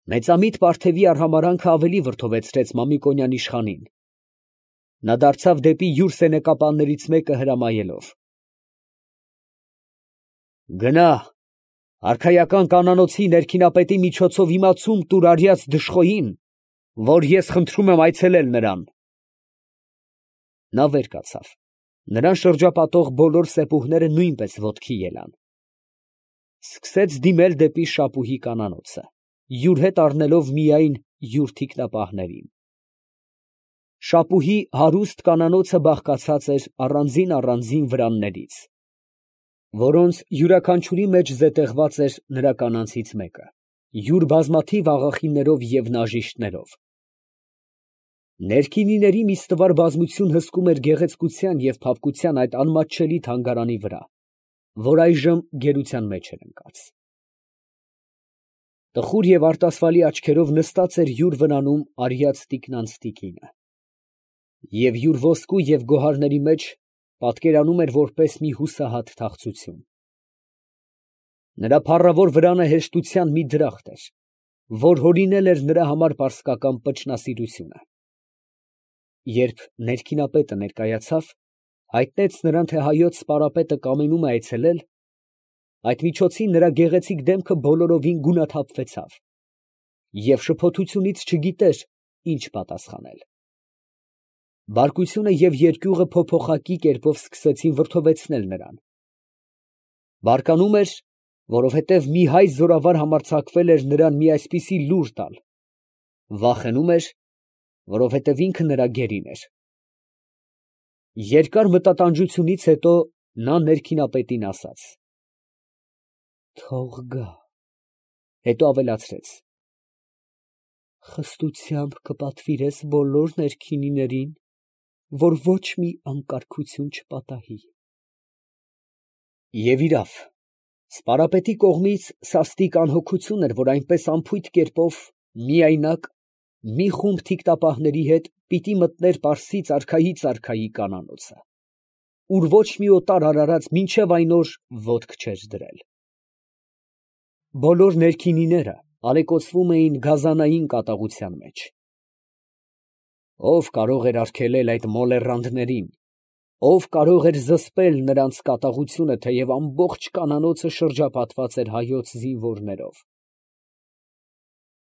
Մեծամիտ Պարթևի արհամարանքը ավելի վրդովեցրեց Մամիկոնյան իշխանին. նա դարձավ դեպի յուր սենեկապաններից մեկը հրամայելով. «Գնա, արքայական կանանոցի ներքինապետի միջոցով իմացում տուր արյած դժխոյին, որ ես խնդրում եմ այցելել նրան»։ Նա վեր կացավ. նրան շրջապատող բոլոր սեպուհները նույնպես ոտքի ելան. սկսեց դիմել դեպի Շապուհի կանանոցը, յուր հետ առնելով միայն յուր թիկնապահներին։ Շապուհի հարուստ կանանոցը բաղկացած էր առանձին վրաններից, որոնց յուրաքանչյուրի մեջ զետեղված էր նրա կանանցից մեկը, յուր բազմաթիվ աղախիններով և նաժիշտներով։ Ներքինիների մի ստվար բազմություն հսկում էր գեղեցկության և փափկության այդ անմատչելի թանգարանի վրա, որ այժմ գերության մեջ էր ընկած։ Տխուր և արտասվալի աչքերով նստած էր յուր վրանում արյած տիկնանց տիկինը, և յուր ոսկու և գոհարների մեջ պատկերանում էր որպես մի հուսահատ թախծություն։ Նրա փառավոր վրանը հեշտության մի դրախտ էր, որ հորինել էր նրա համար պարսկական պճնասիրությունը։ Երբ ներքինապետը ներկայացավ, հայտնեց նրան, թե հայոց սպարապետը կամենում է այցելել, այդ միջոցին նրա գեղեցիկ դեմքը բոլորովին գունաթափվեցավ, և շփոթությունից չգիտեր ինչ պատասխանել։ Բարկությունը և երկյուղը փոփոխակի կերպով սկսեցին վրդովեցնել նրան։ Բարկանում էր, որովհետև մի հայ զորավար համարձակվել էր նրան մի այսպիսի լուր տալ, վախենում էր, որովհետև ինքը նրա գերին էր։ Երկար մտատանջությունից հետո նա ներքինապետին ասաց. «Թող գա», հետո ավելացրեց. «խստությամբ կպատվիրես բոլոր ներքինիներին, որ ոչ մի անկարգություն չպատահի»։ Եվ իրավ, սպարապետի կողմից սաստիկ անհոգություն էր, որ այնպես անփույթ կերպով, միայնակ, մի խումբ թիկնապահների հետ պիտի մտներ Պարսից արքայի կանանոցը, ուր ոչ մի օտար արարած մինչև այն օր ոտք չէր դրել։ Բոլոր ներքինիները ալեկոծվում էին գազանային կատաղության մեջ։ Ո՞վ կարող էր արգելել այդ մոլեռանդներին, ո՞վ կարող էր զսպել նրանց կատաղությունը, թեև ամբողջ կանանոցը շրջապատված էր հայոց զինվորներով։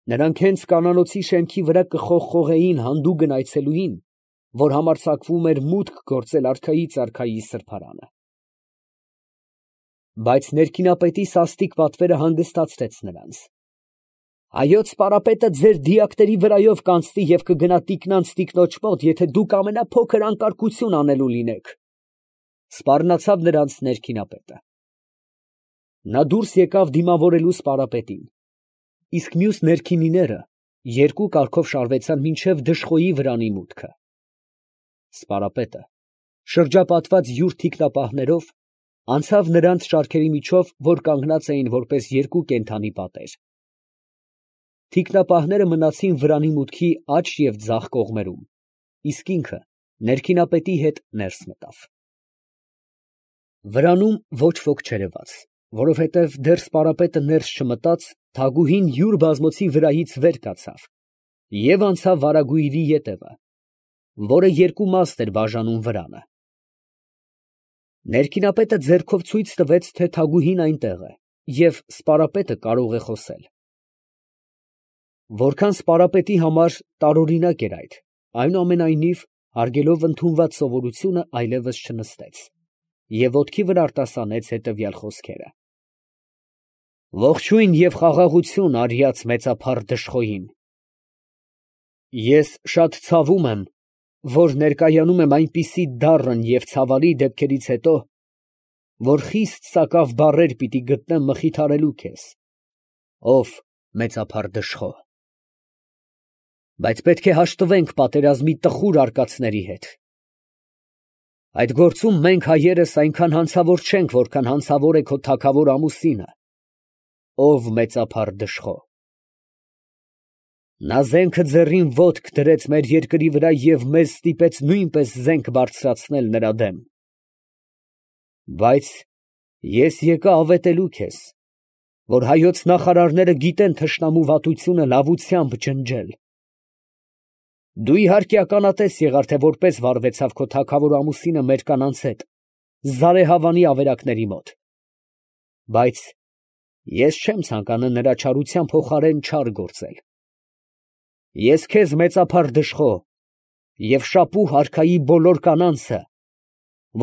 Նրանք հենց կանանոցի շեմքի վրա կխողխողեին հանդուգն այցելուին, որ համարձակվում էր մուտք գործել արքայի սրբարանը։ Բայց ներքինապետի սաստիկ պատվերը հանգստացրեց նրանց։ «Հայոց սպարապետը ձեր դիակների վրայով կանցնի և կգնա տիկնանց տիկնոջ մոտ, եթե դուք ամենափոքր անկարգություն անելու լինեք», սպառնացավ նրանց ներքինապետը։ Նա դուրս եկավ դիմավորելու սպարապետին, իսկ մյուս ներքինիները երկու կարգով շարվեցան մինչև դժխոյի վրանի մուտքը։ Սպարապետը, շրջապատված յուր թիկնապահներով, անցավ նրանց շարքերի միջով, որ կանգնած էին որպես երկու կենդանի պատեր։ Թիկնապահները մնացին վրանի մուտքի աջ և ձախ կողմերում, իսկ ինքը ներքինապետի հետ ներս մտավ։ Վրանում ոչ ոք չերևաց, որովհետև դեռ սպարապետը ներս չմտած, թագուհին յուր բազմոցի վրայից վեր կացավ և անցավ վարագույրի ետևը, որը երկու մաստ էր բաժանում վրանը։ Ներքինապետը ձեռքով ցույց տվեց, թե թագուհին այնտեղ է, և սպարապետը կարող է խոսել։ Որքան սպարապետի համար տարօրինակ էր այդ, այնուամենայնիվ, հարգելով ընդունված սովորությունը, այլևս չնստեց և ոտքի վրա արտասանեց հետևյալ խոսքերը. «Ողջույն և խաղաղություն արյած մեծափառ դժխոյին։ Ես շատ ցավում եմ, որ ներկայանում եմ այնպիսի դառն և ցավալի դեպքերից հետո, որ խիստ սակավ բառեր պիտի գտնեմ մխիթարելու քեզ, ով մեծափառ դժխո։ Բայց պետք է հաշտվենք պատերազմի տխուր արկածների հետ։ Այդ գործում մենք հայերս այնքան հանցավոր չենք, որքան հանցավոր է քո թագավոր ամուսինը, ով մեծափառ դժխո։ Նա զենքը ձեռին ոտք դրեց մեր երկրի վրա և մեզ ստիպեց նույնպես զենք բարձրացնել նրա դեմ։ Բայց ես եկա ավետելու քեզ, որ հայոց նախարարները գիտեն թշնամու վատությունը լավությամբ ջնջել։ Դու իհարկե ականատես եղար, թե որպես վարվեցավ քո թագավոր ամուսինը մեր կանանց հետ, Զարեհավանի ավերակների մոտ։ Բայց ես չեմ ցանկանում նրա չարության փոխարեն չար գործել։ Ես քեզ մեծափառ դժխո և շապուհ արքայի բոլոր կանանցը,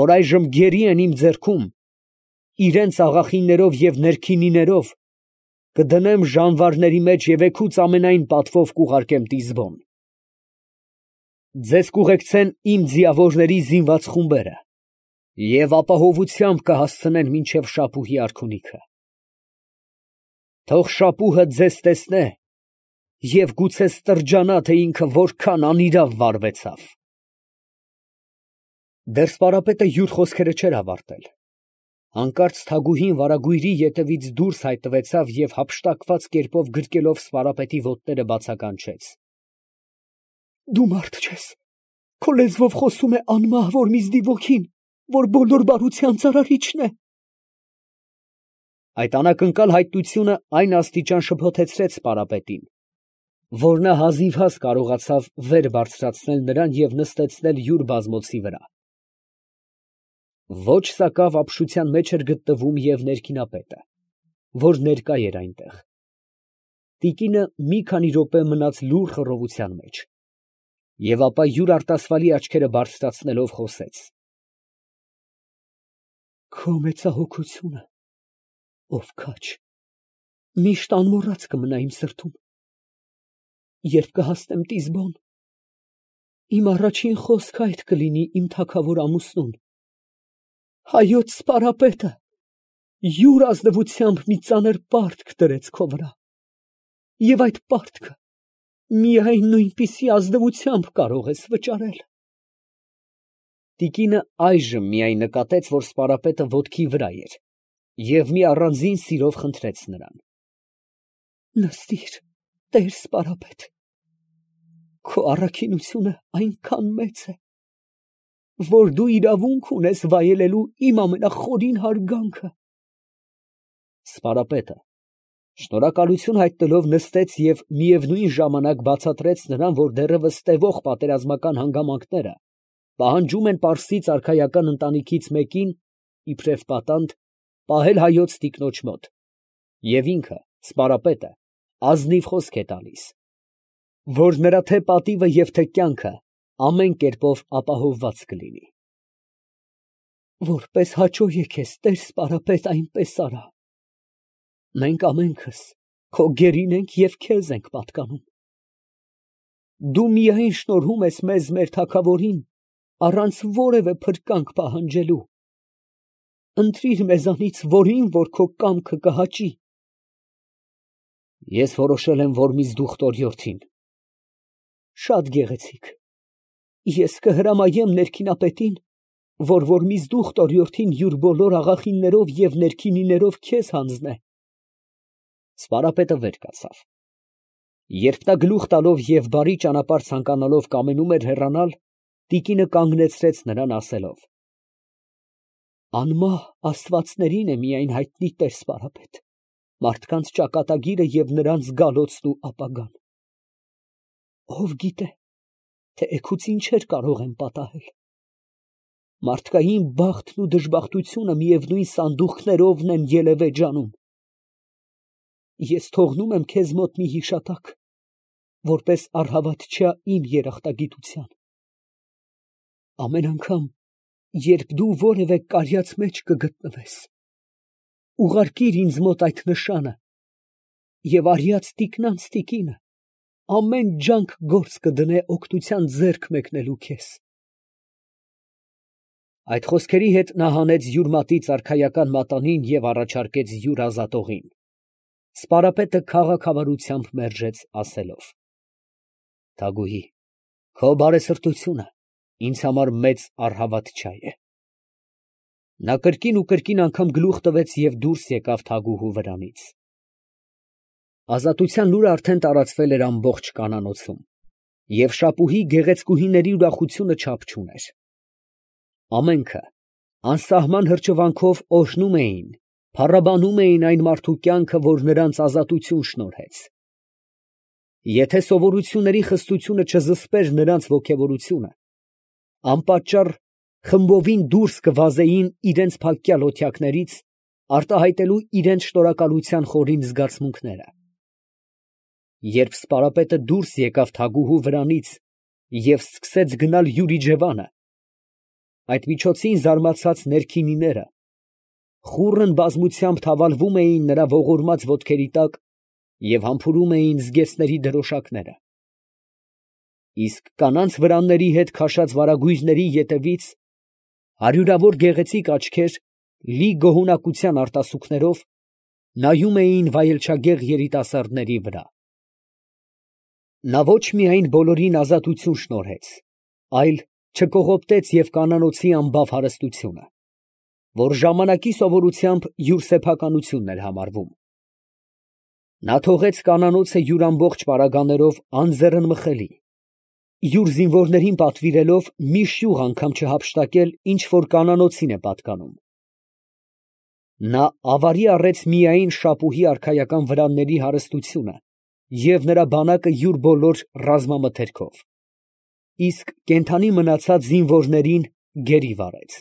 որ այժմ գերի են իմ ձեռքում, իրենց աղախիններով և ներքինիներով, կդնեմ ժանվարների մեջ և էգուց ամենայն պատվով կուղարկեմ Տիզբոն։ Ձեզ կուղեկցեն իմ ձիավորների զինված խումբերը և ապահովությամբ կհասցնեն մինչև շապուհի արքունիքը։ Թող շապուհը ձեզ տեսնե և գուցե ստրջանա, թե ինքը որքան անիրավ վարվեցավ։ Դեռ սպարապետը յուր խոսքերը չէր ավարտել, հանկարծ թագուհին վարագույրի ետևից դուրս հայտնվեցավ և հափշտակված կերպով գրկելով սպարապետի ոտները բացականչեց. Դու մարդ չես, քո լեզվով խոսում է անմահ Որմիզդի ոգին, որ բոլոր բարության ծարարիչն է։ Այդ անակնկալ հայտնությունը այն աստիճան շփոթեցրեց սպարապետին, որ նա հազիվհազ կարողացավ վեր բարձրացնել նրան և նստեցնել յուր բազմոցի վրա։ Ոչ սակավ ապշության մեջ էր գտնվում և ներքինապետը, որ ներկա էր այնտեղ։ Տիկինը մի քանի րոպե մնաց լուռ խռովության մեջ և ապա յուր արտասվալի աչքերը բարձրացնելով խոսեց. Քո մեծահոգությունը, ով քաչ, միշտ անմոռաց կմնա իմ սրտում։ Երբ կհասնեմ Տիզբոն, իմ առաջին խոսքը այդ կլինի իմ թագավոր ամուսնուն. հայոց սպարապետը յուր ազնվությամբ մի ծանր պարտք դրեց քո վրա, և այդ պարտքը միայն նույնպիսի ազնվությամբ կարող ես վճարել։ Տիկինը այժմ միայն նկատեց, որ սպարապետը ոտքի վրա էր, և մի առանձին սիրով խնդրեց նրան. նստիր, տեր սպարապետ, քո առաքինությունը այնքան մեծ է, որ դու իրավունք ունես վայելելու իմ ամենախորին հարգանքը։ Սպարապետը շնորհակալություն հայտնելով նստեց և միևնույն ժամանակ բացատրեց նրան, որ դեռևս տևող պատերազմական հանգամանքները պահանջում են պարսից արքայական ընտանիքից մեկին, իբրև պատանդ, պահել հայոց տիկնոջ մոտ, և ինքը, սպարապետը, ազնիվ խոսք է տալիս, որ նրա թե պատիվը և թե կյանքը ամեն կերպով ապահովված կլինի։ Որպես հաճո է քեզ, տեր սպարապետ, այնպես արա։ Մենք ամենքս քո գերին ենք և քեզ ենք պատկանում։ Դու միայն շնորհում ես մեզ մեր թագավորին, առանց որևէ փրկանք պահանջելու։ Ընտրիր մեզանից որին, որ քո կամքը կհաճի։ Ես որոշել եմ Որմիզդու խտորիորդին։ Շատ գեղեցիկ։ Ես կհրամայեմ ներքինապետին, որ Որմիզդու խտորիորդին յուր բոլոր աղախիններով և ներքինիներով քեզ հանձնե։ Սպարապետը վեր կացավ։ Երբ նա գլուխ տալով և բարի ճանապարհ ցանկանալով կամենում էր հեռանալ, տիկինը կանգնեցրեց նրան, ասելով. անմահ աստվածներին է միայն հայտնի, տեր սպարապետ, մարդկանց ճակատագիրը և նրանց գալոցն ու ապագան։ Ով գիտե, թե էգուց ինչեր կարող են պատահել։ Մարդկային բախտն ու դժբախտությունը միևնույն սանդուղքներովն են ելևէ ջանում։ Ես թողնում եմ քեզ մոտ մի հիշատակ, որպես առհավատչյա իմ երախտագիտության։ Ամեն անգամ, երբ դու որևէ կարյաց մեջ կգտնվես, ուղարկիր ինձ մոտ այդ նշանը, և արյաց տիկնանց տիկինը ամեն ջանք գործ կդնե օգնության ձեռք մեկնելու քեզ։ Այդ խոսքերի հետ նա հանեց յուր մատից արքայական մատանին և առաջարկեց յուր ազատողին։ Սպարապետը քաղաքավարությամբ մերժեց, ասելով. թագուհի, քո բարեսրտությունը ինձ համար մեծ առհավատչա է։ Նա կրկին ու կրկին անգամ գլուխ տվեց և դուրս եկավ թագուհու վրանից։ Ազատության լուրը արդեն տարածվել էր ամբողջ կանանոցում, և շապուհի գեղեցկուհիների ուրախությունը չափ չուներ։ Ամենքը անսահման հրճվանքով օրհնում էին, փառաբանում էին այն մարդու կյանքը, որ նրանց ազատություն շնորհեց։ Եթե սովորությունների խստությունը չզսպեր նրանց ոգևորությունը, անպատճառ խմբովին դուրս կվազեին իրենց փակյալ օթյակներից, արտահայտելու իրենց շնորհակալության խորին զգացմունքները։ Երբ սպարապետը դուրս եկավ թագուհու վրանից և սկսեց գնալ յուր իջևանը, այդ միջոցին զարմացած ներքինիները խուռն բազմությամբ թավալվում էին նրա ողորմած ոտքերի տակ և համբուրում էին զգեստների դրոշակները։ Իսկ կանանց վրանների հետ քաշած վարագույրների ետևից հարյուրավոր գեղեցիկ աչքեր, լի գոհունակության արտասուքներով, նայում էին վայելչագեղ երիտասարդների վրա։ Նա ոչ միայն բոլորին ազատություն շնորհեց, այլ չկողոպտեց և կանանոցի անբավ հարստությունը, որ ժամանակի սովորությամբ յուր սեփականությունն էր համարվում։ Նա թողեց կանանոցը յուր ամբողջ պարագաներով անձեռնմխելի, յուր զինվորներին պատվիրելով մի շյուղ անգամ չհափշտակել, ինչ որ կանանոցին է պատկանում։ Նա ավարի առեց միայն շապուհի արքայական վրանների հարստությունը և նրա բանակը յուր բոլոր ռազմամթերքով, իսկ կենդանի մնացած զինվորներին գերի վարեց։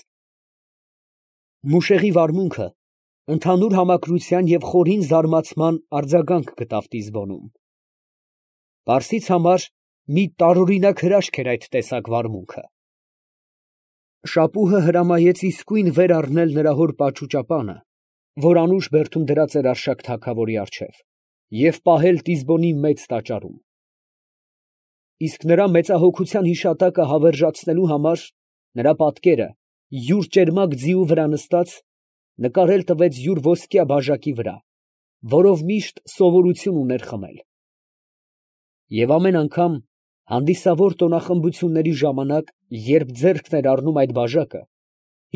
Մուշեղի վարմունքը ընդհանուր համակրության և խորին զարմացման արձագանք գտավ Տիզբոնում։ Պարսից համար մի տարօրինակ հրաշք էր այդ տեսակ վարմունքը։ Շապուհը հրամայեց իսկույն վեր առնել նրա հոր պաճուճապանը, որ անուշ բերդում դրած էր Արշակ թագավորի առջև, և պահել Տիզբոնի մեծ տաճարում։ Իսկ նրա մեծահոգության հիշատակը հավերժացնելու համար նրա պատկերը յուր ճերմակ ձիու վրա նստած նկարել տվեց յուր ոսկյա բաժակի վրա, որով միշտ սովորություն ուներ խմել։ Եվ ամեն անգամ հանդիսավոր տոնախմբությունների ժամանակ, երբ ձեռքն էր առնում այդ բաժակը,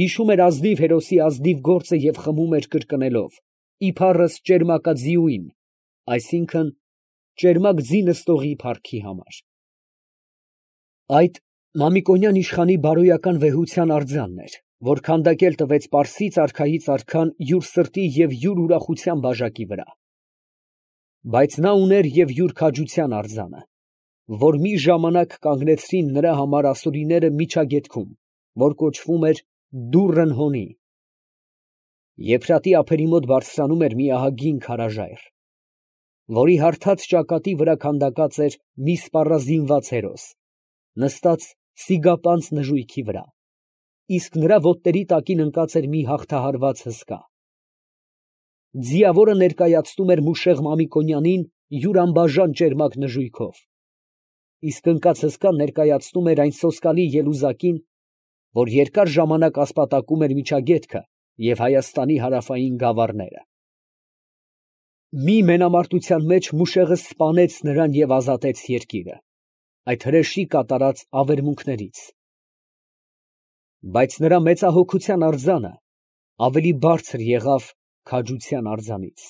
հիշում էր ազնիվ հերոսի ազնիվ գործը և խմում էր կրկնելով. «Իբարս ճերմակաձիուին», այսինքն ճերմակ ձի նստողի փառքի համար։ Այդ Մամիկոնյան իշխանի բարոյական վեհության արձանն էր, որ քանդակել տվեց պարսից արքայից արքան յուր սրտի և յուր ուրախության բաժակի վրա։ Բայց նա ուներ և յուր քաջության արձանը, որ մի ժամանակ կանգնեցրին նրա համար ասորիները Միջագետքում, որ կոչվում էր Դուռն Հոնի։ Եփրատի ափերի մոտ բարձրանում էր մի ահագին քարաժայռ, որի հարթած ճակատի վրա քանդակած էր մի սպառազինված հերոս, նստած սիգապանծ նժույգի վրա, իսկ նրա ոտների տակին ընկած էր մի հաղթահարված հսկա։ Ձիավորը ներկայացնում էր Մուշեղ Մամիկոնյանին յուր անբաժան ճերմակ նժույգով, իսկ ընկած հսկան ներկայացնում էր այն սոսկալի ելուզակին, որ երկար ժամանակ ասպատակում էր Միջագետքը և Հայաստանի հարավային գավառները։ Մի մենամարտության մեջ Մուշեղը սպանեց նրան և ազատեց երկիրը այդ հրեշի կատարած ավերմունքներից։ Բայց նրա մեծահոգության արձանը ավելի բարձր եղավ քաջության արձանից։